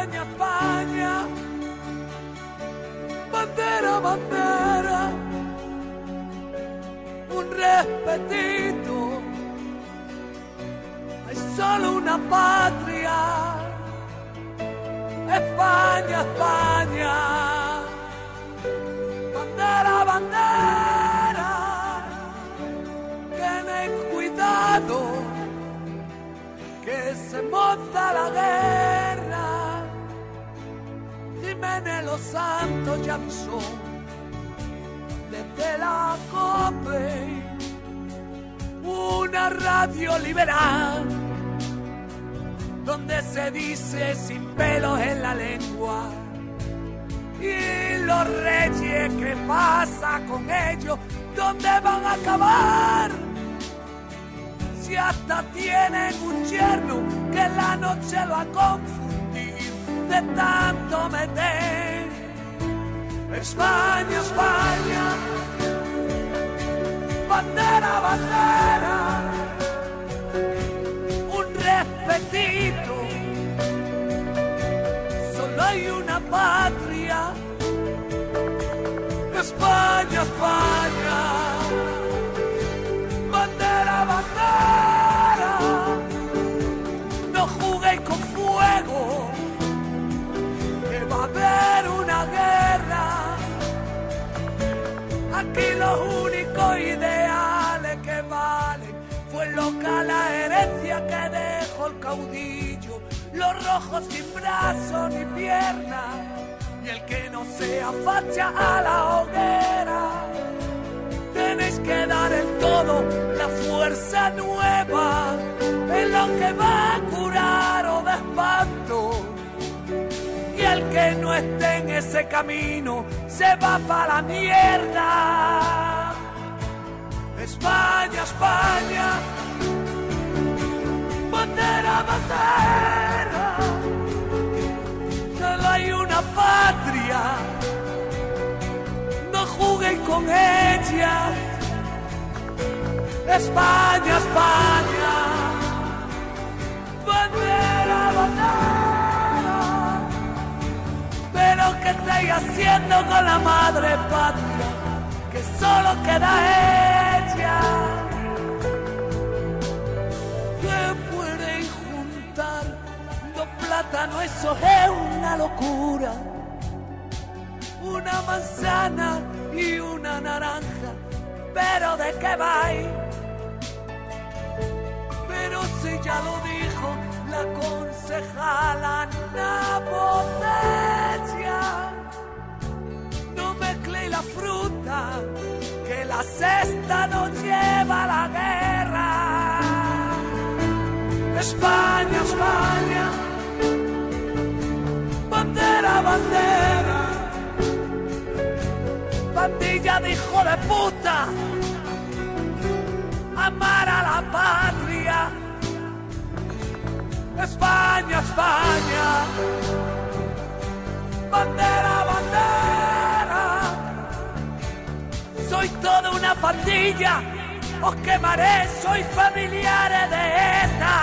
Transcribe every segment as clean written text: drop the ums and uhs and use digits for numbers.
España, España, bandera, bandera, un respetito, hay solo una patria, España, España, bandera, bandera, tened cuidado, que se monta la guerra. Jiménez Los Santos ya avisó desde la COPE, una radio liberal donde se dice sin pelos en la lengua. Y los reyes, ¿qué pasa con ellos? ¿Dónde van a acabar? Si hasta tienen un yerno que la noche lo ha confundido de tanto meter. España, España, bandera, bandera, un respetito, solo hay una patria, España, España, bandera, bandera, no juguéis con fuego, que va a haber una guerra. Aquí los únicos ideales que valen fue loca la herencia que dejó el caudillo, los rojos sin brazos ni piernas, y el que no sea facha a la hoguera. Tenéis que dar en todo la fuerza nueva, en lo que va a curar o de espanto. Y el que no esté en ese camino se va para la mierda. España, España, bandera, bandera, solo hay una patria, no juguéis con ella. España, España, bandera, bandera, pero ¿qué estáis haciendo con la madre patria? Que solo queda ella. Que puedes juntar dos plátanos, eso es una locura. Una manzana y una naranja, pero ¿de qué vais? Pero si ya lo dijo la concejala Napotecia, no mezcléis la fruta, que la cesta nos lleva a la guerra. España, España, bandera, bandera, pandilla de hijo de puta, amar a la patria. España, España, bandera, bandera, soy toda una pandilla, os quemaré, soy familiares de ETA.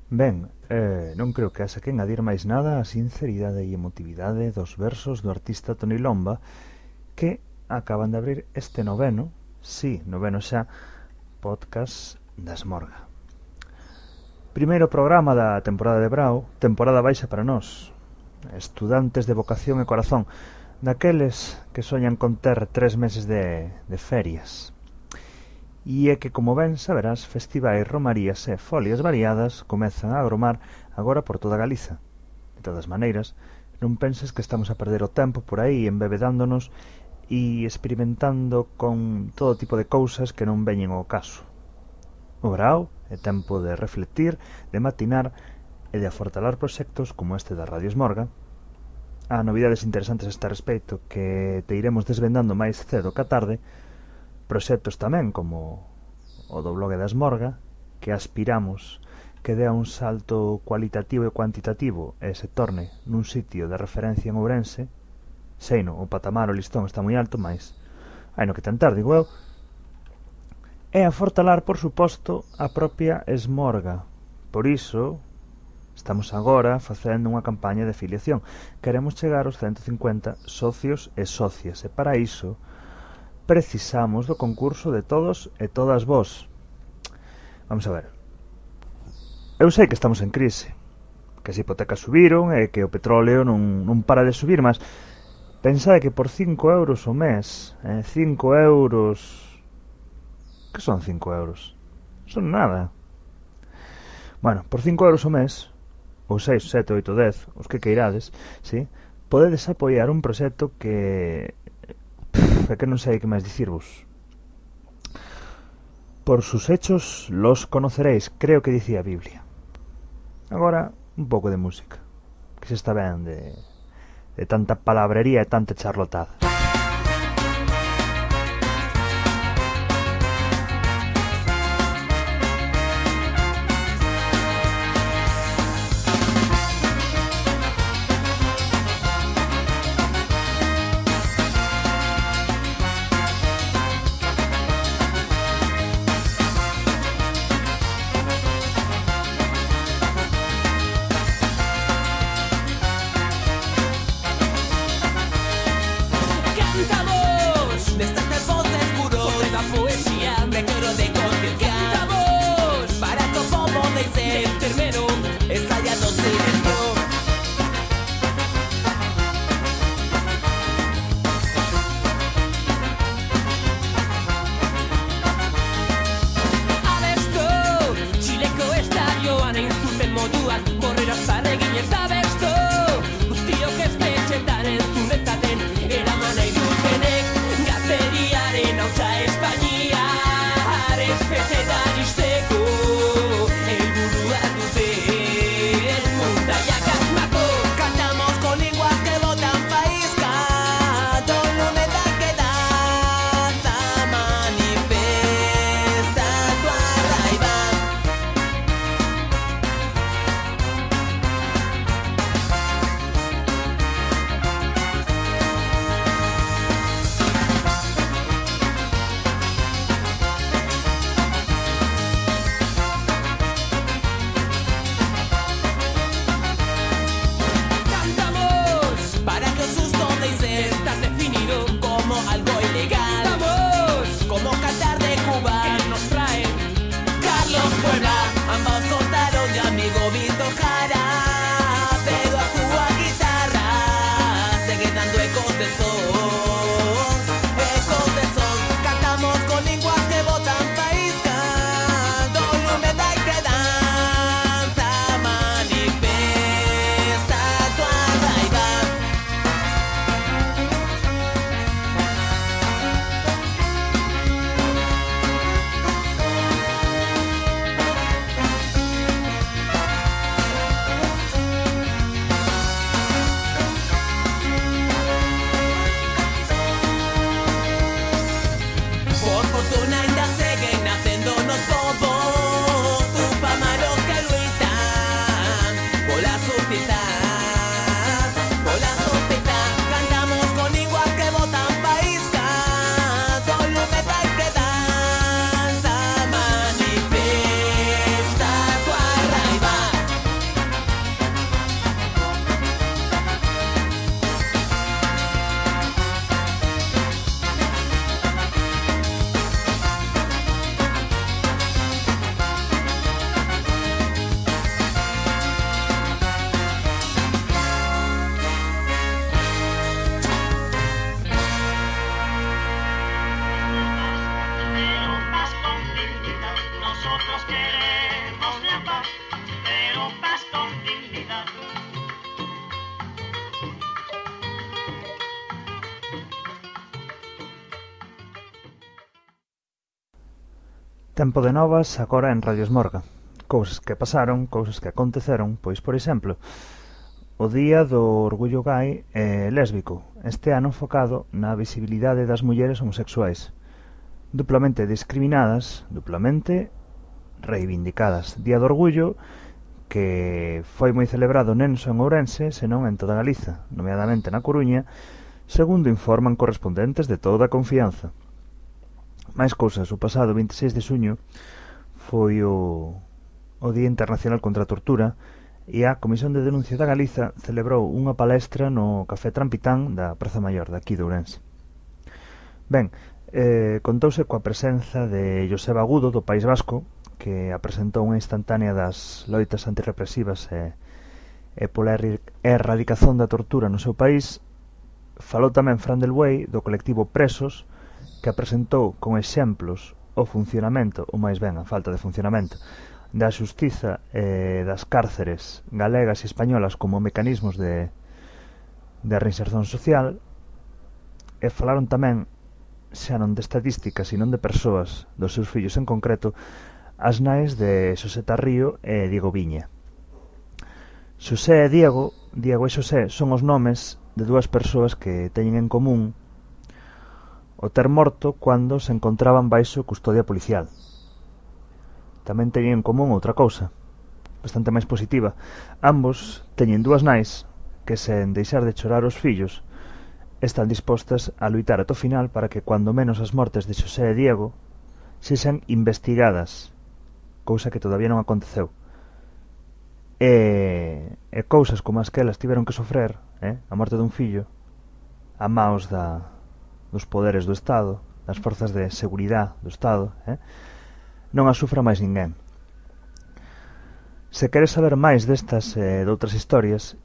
Ben, non creo que haxa que engadir máis nada á sinceridade e emotividade dos versos do artista Toni Lomba, que acaban de abrir este noveno xa, podcast da Esmorga. Primeiro programa da temporada de Brao, temporada baixa para nós, estudantes de vocación e corazón, daqueles que soñan con ter 3 meses de ferias. E é que, como ben saberás, festivais, romarías e folias variadas comezan a agromar agora por toda Galiza. De todas maneiras, non penses que estamos a perder o tempo por aí embebedándonos e experimentando con todo tipo de cousas que non veñen ao caso. O verao é tempo de reflectir, de matinar e de afortalar proxectos como este da Radio Esmorga. Há novidades interesantes a este respecto que te iremos desvendando máis cedo que a tarde, proxectos tamén como o do blog da Esmorga, que aspiramos que dea un salto cualitativo e cuantitativo e se torne nun sitio de referencia en Ourense, Seino, o patamar, o listón está moi alto, mais hai no que tentar, digo eu. E a fortalar, por suposto, a propia Esmorga. Por iso estamos agora facendo unha campaña de afiliación. Queremos chegar aos 150 socios e socias, e para iso precisamos do concurso de todos e todas vós. Vamos a ver. Eu sei que estamos en crise, que as hipotecas subiron e que o petróleo non para de subir, mas pensade que por 5 euros o mes, 5 euros... Que son 5 euros? Son nada. Bueno, por 5 euros o mes, ou 6, 7, 8, 10, os que queirades, sí, podedes apoiar un proxecto que... é que non sei que máis dicirvos. Por sus hechos los conoceréis, creo que dicía a Biblia. Agora, un pouco de música, que se está ben de tanta palabrería e tanta charlotada. Tempo de novas agora en Radio Esmorga. Cousas que pasaron, cousas que aconteceron, pois, por exemplo, o Día do Orgullo Gai e Lésbico, este ano enfocado na visibilidade das mulleres homosexuais, duplamente discriminadas, duplamente reivindicadas. Día do Orgullo que foi moi celebrado non só en Ourense, senón en toda Galiza, nomeadamente na Coruña, segundo informan correspondentes de toda a confianza. Máis cousas, o pasado 26 de xuño foi o Día Internacional contra a Tortura e a Comisión de Denuncia da Galiza celebrou unha palestra no Café Trampitán da Praza Maior de aquí de Ourense. Ben, contouse coa presenza de Joseba Agudo do País Vasco, que apresentou unha instantánea das loitas antirrepresivas e pola erradicación da tortura no seu país. Falou tamén Fran del Buey do colectivo Presos, que apresentou con exemplos o funcionamento, ou máis ben a falta de funcionamento, da xustiza e das cárceres galegas e españolas como mecanismos de reinserción social, e falaron tamén, xa non de estadísticas e non de persoas, dos seus fillos en concreto, as nais de Xosé Tarrío e Diego Viña. Xosé e Diego e Xosé son os nomes de dúas persoas que teñen en común o ter morto cando se encontraban baixo custodia policial. Tamén teñen en común outra cousa, bastante máis positiva. Ambos teñen dúas nais que, sen deixar de chorar os fillos, están dispostas a luitar ata o final para que, cando menos, as mortes de Xosé e Diego sexan investigadas, cousa que todavía non aconteceu. E cousas como as que elas tiveron que sofrer, a morte dun fillo, a maos dos poderes do Estado, das forzas de seguridade do Estado, non a sufra máis ninguén. Se queres saber máis destas e de outras historias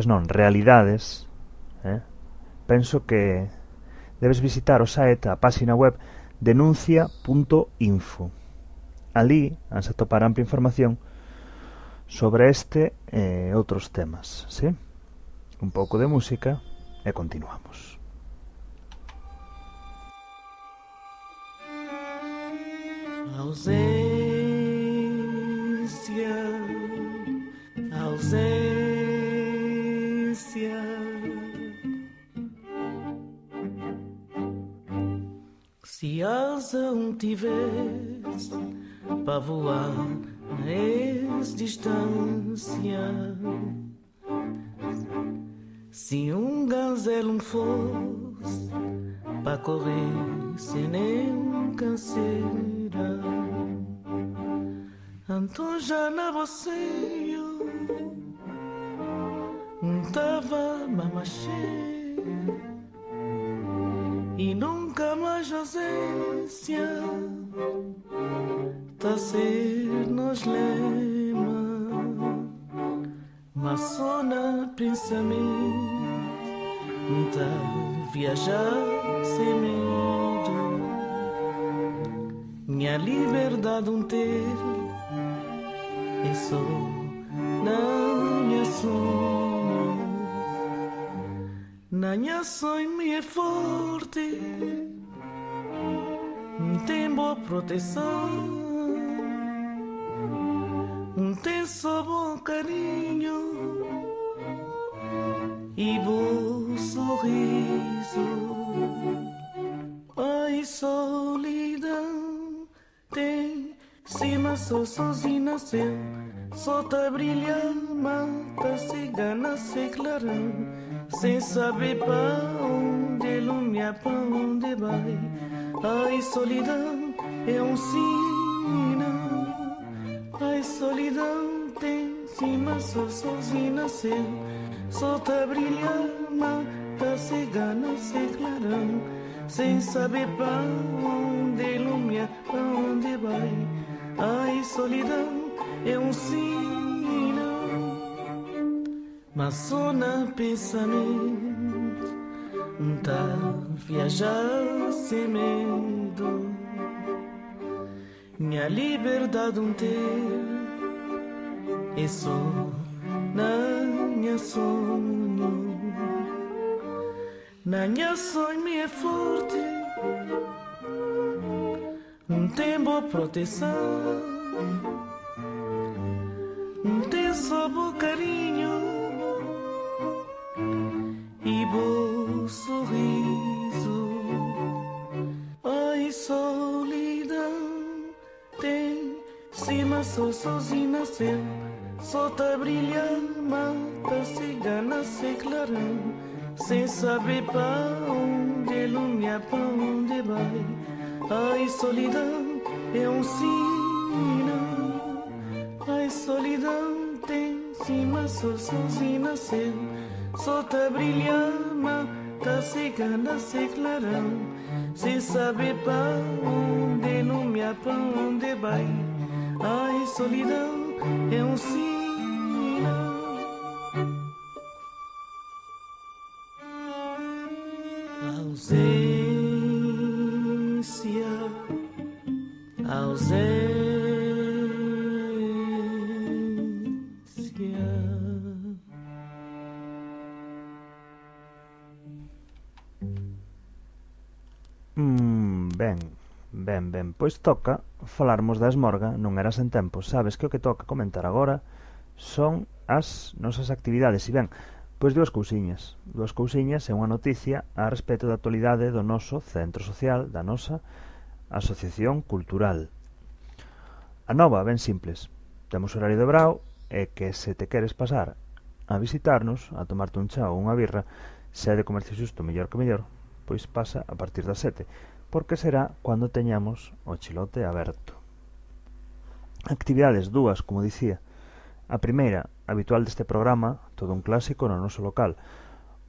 non, realidades, penso que debes visitar o site, a página web denuncia.info. Ali vas a topar ampla información sobre este e outros temas, ¿sí? Un pouco de música e continuamos. Ausência, ausência. Se asa tivesse para voar na distância, se gazelo fosse para correr sem nem canseira, então já na você tava mamachê e nunca mais ausência tá ser nos lema, mas só na pensamento tá viajar sem medo. Minha liberdade ter é só na minha sonho, na minha sonho me é forte, tem boa proteção. Tem só bom carinho e bom sorriso. Ai, solidão tem cima só sozinho nasceu, só tá brilhando, mata cigana se clarão, sem saber pra onde lumia, pra onde vai. Ai, solidão é sinal. Ai, solidão tem cima só sozinho nasceu, só tá brilhando, mata cigana se clarão, sem saber pra onde lumia, pra onde vai. Ai, solidão é sinal, mas só na pensamento tá viajar sem medo. Minha liberdade ter é só na minha sonho, na minha sonho me é forte, tem boa proteção, tem só bom carinho e bom sorriso. Ai, solidão tem cima só sozinho nasceu, só tá brilhando, mata cigana se clarão, sem saber pra onde lumia, pra onde vai. Ai, solidão é um sinal. Ai, solidão tem cima, sou sozinho nasceu. Só tá brilhando, tá secando, tá clarão. Sem saber pra onde lumia, pra onde vai. Ai, solidão é um sinal. Ausência, ausência. Ben, pois toca falarmos da esmorga, non era sen tempo. Sabes que o que toca comentar agora son as nosas actividades. E ben, pois dúas cousiñas e unha noticia a respecto da actualidade do noso centro social, da nosa asociación cultural. A nova, ben simples, temos horario de brao e que se te queres pasar a visitarnos, a tomarte un chá ou unha birra, se é de comercio xusto mellor que mellor, pois pasa a partir das 7, porque será cando teñamos o chilote aberto. Actividades dúas, como dicía. A primeira, habitual deste programa, todo un clásico no noso local,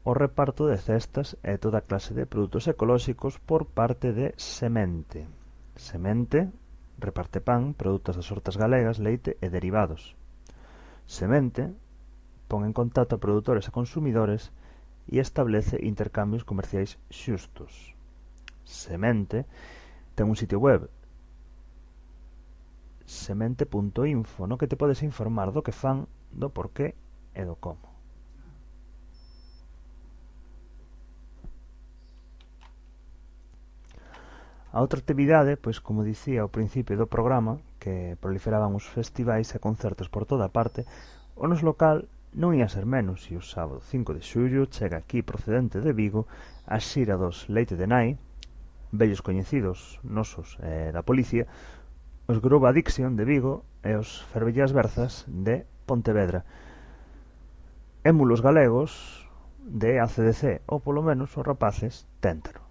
o reparto de cestas e toda clase de produtos ecolóxicos por parte de Semente. Semente reparte pan, produtos das hortas galegas, leite e derivados. Semente pon en contacto a produtores e consumidores e establece intercambios comerciais xustos. Semente ten un sitio web, semente.info, no que te podes informar do que fan, do porqué e do como. A outra actividade, pois como dicía ao principio do programa, que proliferaban os festivais e concertos por toda parte, o noso local non ia ser menos, e o sábado 5 de xullo chega aquí procedente de Vigo a xira dos Leite de Nai, vellos coñecidos nosos da policía, os Groove Addiction de Vigo e os Fervellas Berzas de Pontevedra, émulos galegos de ACDC, ou polo menos os rapaces téntano.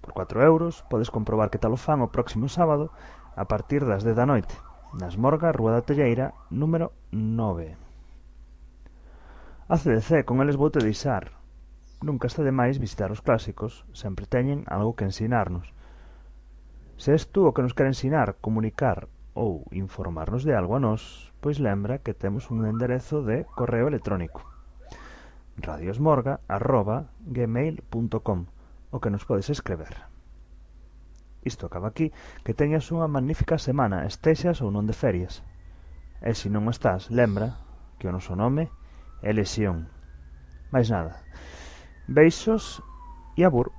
Por 4 euros podes comprobar que tal o fan o próximo sábado a partir das 10 da noite, na Esmorga, Rúa da Telleira, número 9. ACDC, con eles voute deixar. Nunca está de máis visitar os clásicos, sempre teñen algo que ensinarnos. Se és tú o que nos quere ensinar, comunicar ou informarnos de algo a nós, pois lembra que temos un enderezo de correo electrónico: radiosmorga@gmail.com, o que nos podes escrever. Isto acaba aquí, que teñas unha magnífica semana, estexas ou non de ferias. E se non estás, lembra que o noso nome é Lesión. Mais nada. Beixos e abur.